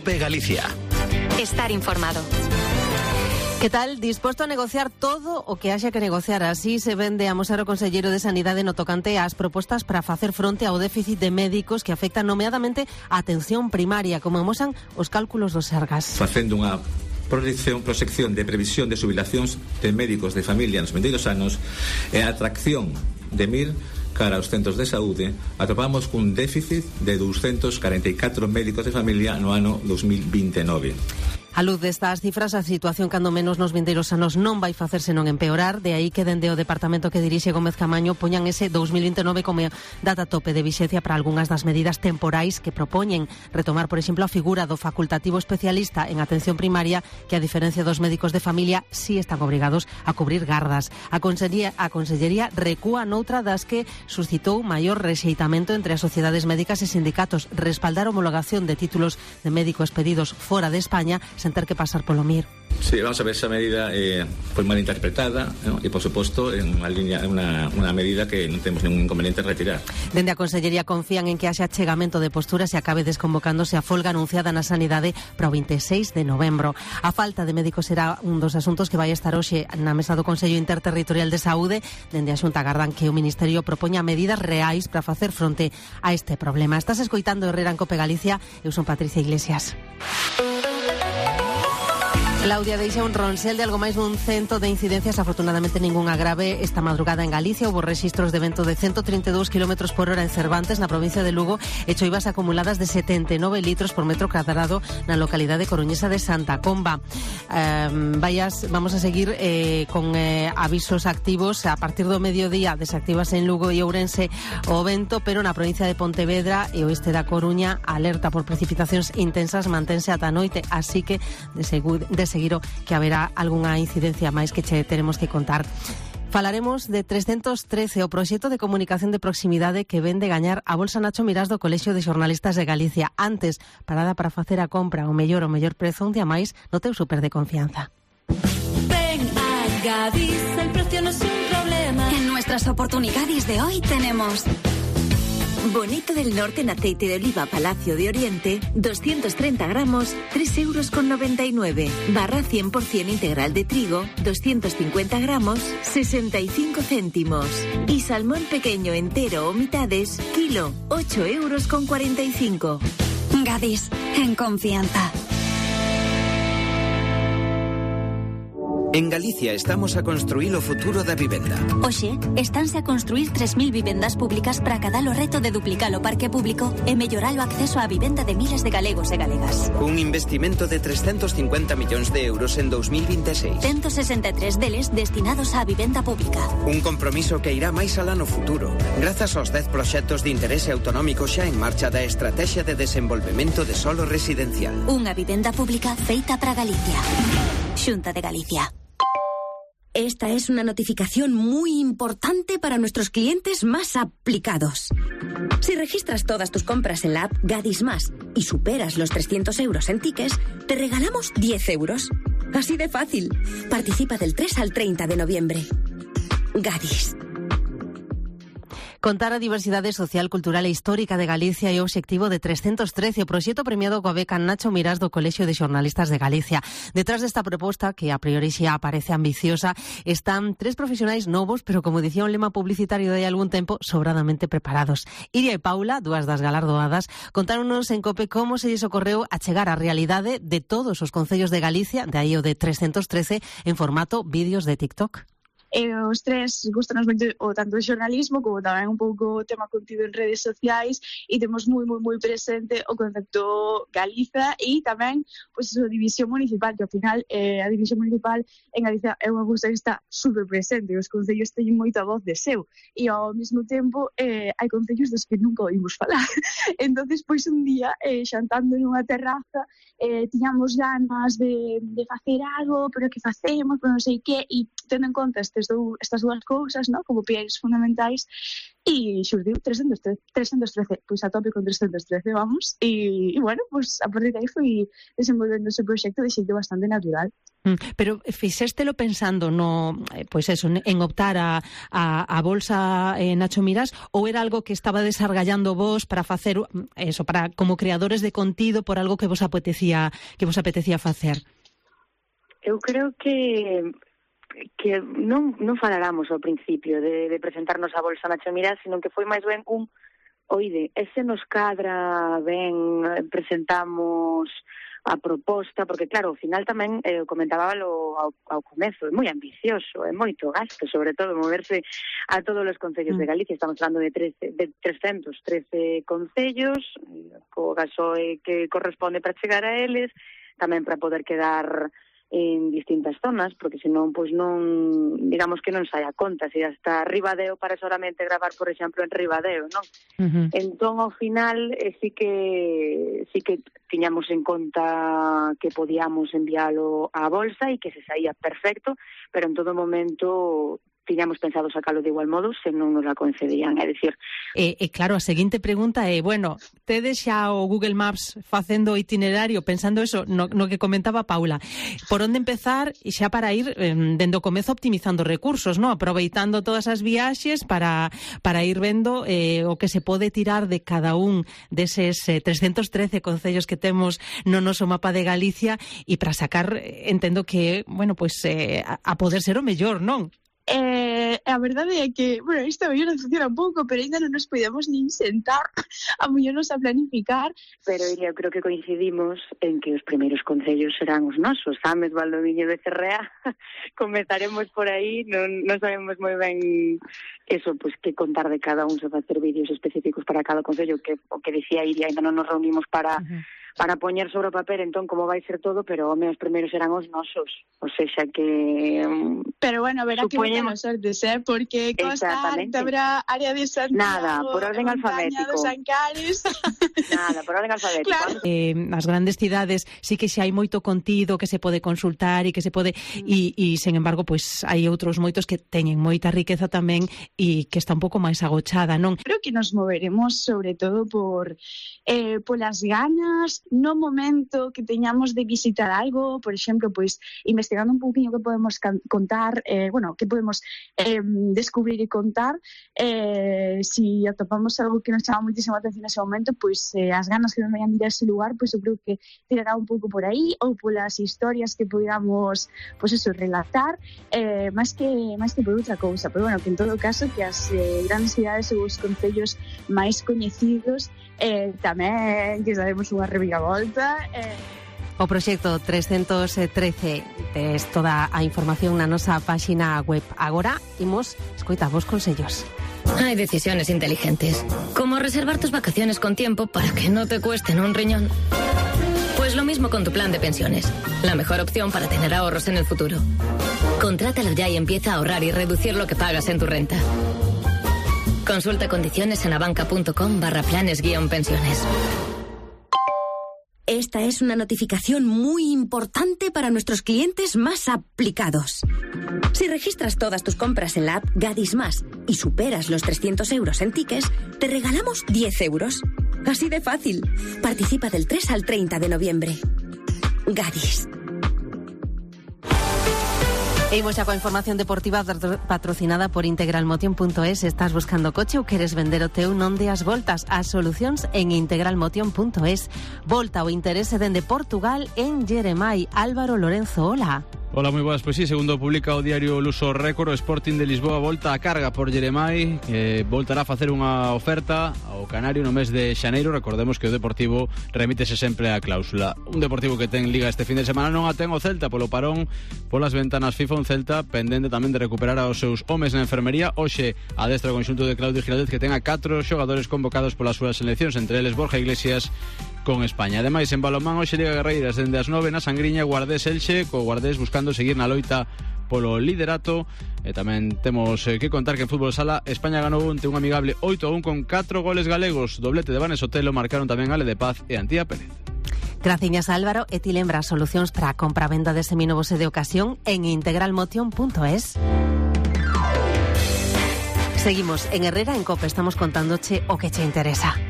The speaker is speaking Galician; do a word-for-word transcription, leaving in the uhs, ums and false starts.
COPE Galicia. Estar informado. Que tal? Disposto a negociar todo o que haxa que negociar. Así se vende a amosar o conselleiro de Sanidade no tocante ás propostas para facer fronte ao déficit de médicos que afectan nomeadamente a atención primaria, como amosan os cálculos dos Sergas. Facendo unha proxección, proxección de previsión de xubilacións de médicos de familia nos vindeiros anos e a atracción de mir cara aos centros de saúde, atopamos cun déficit de doscientos cuarenta e catro médicos de familia no ano dos mil vinte e nove. A luz destas cifras, a situación cando menos nos vindeiros anos non vai facerse non empeorar, de aí que dende o departamento que dirixe Gómez Camaño poñan ese dos mil vinte e nove como data tope de vixencia para algunhas das medidas temporais que propoñen retomar, por exemplo, a figura do facultativo especialista en atención primaria, que a diferencia dos médicos de familia sí están obrigados a cubrir gardas. A Consellería, a Consellería recúa noutra das que suscitou maior rexeitamento entre as sociedades médicas e sindicatos, respaldar a homologación de títulos de médico expedidos fora de España sen ter que pasar polo M I R. Sí, vamos a ver, esa medida eh, foi mal interpretada, ¿no? E, por suposto, en unha línea, unha, unha medida que non temos ningún inconveniente en retirar. Dende a Consellería confían en que haxe achegamento de posturas e acabe desconvocándose a folga anunciada na Sanidade para o veintiséis de novembro. A falta de médicos será un dos asuntos que vai estar hoxe na mesa do Consello Interterritorial de Saúde. Dende a Xunta agardan que o Ministerio propoña medidas reais para facer fronte a este problema. Estás escoitando Herrera en COPE Galicia. Eu son Patricia Iglesias. Claudia deixa un ronsel de algo máis dun cento de incidencias, afortunadamente ningunha grave esta madrugada en Galicia. Houbo rexistros de vento de ciento treinta e dous kilómetros por hora en Cervantes, na provincia de Lugo, e choivas acumuladas de setenta e nove litros por metro cuadrado na localidade coruñesa de Santa Comba. Eh, vayas, vamos a seguir eh, con eh, avisos activos. A partir do mediodía desactivas en Lugo e Ourense o vento, pero na provincia de Pontevedra e oeste da Coruña alerta por precipitacións intensas mantense ata a noite, así que de seguro de seguiro que haberá algunha incidencia máis que che teremos que contar. Falaremos de trescentos trece, o proxecto de comunicación de proximidade que ven de gañar a Bolsa Nacho Mirás do Colexio de Xornalistas de Galicia. Antes, parada para facer a compra o mellor o mellor prezo un día máis no teu super de confianza. Ven a Gadis, el precio no es un problema. En nuestras oportunidades de hoy tenemos Bonito del Norte en aceite de oliva Palacio de Oriente, doscientos treinta gramos, tres euros con noventa y nueve. Barra cien por ciento integral de trigo, doscientos cincuenta gramos, sesenta y cinco céntimos. Y salmón pequeño entero o mitades, kilo, ocho euros con cuarenta y cinco. Gadis, en confianza. En Galicia estamos a construir o futuro da vivenda. Oxe, estánse a construir tres mil vivendas públicas para cada o reto de duplicar o parque público e mellorar o acceso á vivenda de miles de galegos e galegas. Un investimento de trescentos cincuenta millóns de euros en dos mil veintiséis. ciento sesenta e tres deles destinados á vivenda pública. Un compromiso que irá máis alá no futuro, grazas aos dez proxectos de interese autonómico xa en marcha da Estrategia de Desenvolvemento de Solo Residencial. Unha vivenda pública feita para Galicia. Xunta de Galicia. Esta es una notificación muy importante para nuestros clientes más aplicados. Si registras todas tus compras en la app Gadis Más y superas los trescientos euros en tickets, te regalamos diez euros. Así de fácil. Participa del tres al treinta de noviembre. Gadis. Contar a diversidade social, cultural e histórica de Galicia é o obxectivo de trescentos trece, o proxecto premiado coa beca Nacho Mirás do Colexio de Xornalistas de Galicia. Detrás desta proposta, que a priori xa aparece ambiciosa, están tres profesionais novos, pero como dicía un lema publicitario de hai algún tempo, sobradamente preparados. Iria e Paula, dúas das galardoadas, contáronos en COPE como se lles ocorreu a chegar á realidade de todos os concellos de Galicia, de aí o de trescentos trece, en formato vídeos de TikTok. E os tres gustanos moito o tanto o xornalismo como tamén un pouco o tema contido en redes sociais, e temos moi moi moi presente o concepto Galiza e tamén pois, a división municipal, que ao final eh, a división municipal en Galicia é unha cousa que está super presente, os concellos teñen moita voz de seu e ao mesmo tempo eh, hai concellos dos que nunca oímos falar. Entonces pois un día eh, xantando nunha terraza eh, tiñamos ganas de, de facer algo, pero que facemos, pero non sei que, e tendo en conta este estes dou, estas dúas cousas, no? Como pilares fundamentais, e xurdiu trescentos trece, pois a tope con trescentos trece, vamos, e, e bueno, pois a partir de aí foi desenvolvendo ese proxecto de xeito bastante natural. Pero fixéstelo pensando no, pois eso, en optar a, a, a bolsa eh, Nacho Mirás, ou era algo que estaba desargallando vos para facer eso, para como creadores de contido, por algo que vos apetecía que vos apetecía facer? Eu creo que que non, non faláramos ao principio de, de presentarnos a bolsa Nacho Mirás, sino que foi máis ben un oide, ese nos cadra ben, presentamos a proposta, porque claro, ao final tamén eh, comentábalo ao, ao comezo, é moi ambicioso, é moito gasto, sobre todo moverse a todos os concellos mm. de Galicia. Estamos falando de, trece, de trescentos trece concellos, co gasoe que corresponde para chegar a eles, tamén para poder quedar en distintas zonas, porque senón, pois non, digamos que non sai a conta, se hasta Ribadeo para solamente gravar, por exemplo, en Ribadeo, non? Uh-huh. Entón, ao final, eh, sí que sí que tiñamos en conta que podíamos enviálo á bolsa e que se saía perfecto, pero en todo momento tiñamos pensado sacalo de igual modo se non nos la concedían, é dicir. E, e claro, a seguinte pregunta é, bueno, tedes xa o Google Maps facendo o itinerario, pensando eso, no, no que comentaba Paula, por onde empezar e xa para ir eh, dende o comezo optimizando recursos, no? Aproveitando todas as viaxes para, para ir vendo eh, o que se pode tirar de cada un deses eh, trescentos trece concellos que temos no noso mapa de Galicia e para sacar, entendo que, bueno, pues eh, a, a poder ser o mellor, non? Eh, a verdade é que, bueno, isto a mellor funciona un pouco, pero ainda non nos podemos nin sentar a mellor nos a planificar. Pero eu creo que coincidimos en que os primeiros concellos serán os nosos, Ames, Valdoviño, Becerrea. Comezaremos por aí, non, non sabemos moi ben eso, pues que contar de cada un, se facer vídeos específicos para cada concello, que o que dicía Iria, ainda non nos reunimos para... Uh-huh. para poñer sobre o papel entón como vai ser todo, pero home, os primeiros serán os nosos, ou seja que... Um, pero bueno, verá supoñemos... que boas sortes, eh? Porque Costa, habrá área de Santiago... Nada, por orden alfabético. Dos Ancares... Nada, por orden alfabético. Claro. Eh, as grandes cidades sí que xa hai moito contido que se pode consultar e que se pode... E, e sen embargo, pois pues, hai outros moitos que teñen moita riqueza tamén e que está un pouco máis agochada, non? Creo que nos moveremos sobre todo por eh, polas ganas, no momento que teñamos de visitar algo, por exemplo, pois investigando un pouquinho que podemos contar, eh, bueno, que podemos eh, descubrir e contar, eh, si atopamos algo que nos chama moitísima atención nese momento, pois eh, as ganas que nos vayan ir a ese lugar, pois eu creo que tirará un pouco por aí, ou polas historias que podamos, pois eso, relatar, eh, máis que máis que por outra cousa, pero bueno, que en todo caso que as eh, grandes cidades ou os concellos máis coñecidos eh, tamén que sabemos unha reviravolta. Eh. O proxecto trescentos trece tes toda a información na nosa páxina web. Agora imos escoitar vos consellos. Hay decisiones inteligentes, como reservar tus vacaciones con tiempo para que no te cuesten un riñón. Pues lo mismo con tu plan de pensiones, la mejor opción para tener ahorros en el futuro. Contrátalo ya y empieza a ahorrar y reducir lo que pagas en tu renta. Consulta condiciones en abanca.com barra planes guión pensiones. Esta es una notificación muy importante para nuestros clientes más aplicados. Si registras todas tus compras en la app Gadis Más y superas los trescientos euros en tickets, te regalamos diez euros. Así de fácil. Participa del tres al treinta de noviembre. Gadis. E imos xa coa información deportiva patrocinada por integralmotion punto es. Estás buscando coche ou queres vender o teu? Non deas voltas. As solucións en integralmotion punto es. Volta o interese dende Portugal en Jeremai. Álvaro Lorenzo, hola. Hola, moi boas. Pois sí, segundo publica o diario Luso Récord, o Sporting de Lisboa volta a carga por Jeremai, que voltará a facer unha oferta ao Canario no mes de xaneiro. Recordemos que o Deportivo remítese sempre a cláusula. Un Deportivo que ten liga este fin de semana non a ten o Celta polo parón polas ventanas FIFA, un Celta pendente tamén de recuperar aos seus homes na enfermería. Hoxe adestra o conxunto de Claudio Giraldez, que ten a catro xogadores convocados polas súas seleccións, entre eles Borja Iglesias con España. Ademais, en balonmán hoxe Liga Guerreiras dende as nove na Sangriña, Guardés Elxe, co Guardés buscando seguir na loita polo liderato. E tamén temos eh, que contar que en fútbol sala España ganou onte un amigable oito a un con catro goles galegos. Doblete de Vanes Otelo, marcaron tamén Ale de Paz e Antía Pérez. Graciñas, Álvaro. E ti lembras solucións para a compra-venda de seminovos e de ocasión en integralmotion punto es. Seguimos en Herrera en Cope, estamos contándoche o que che interesa.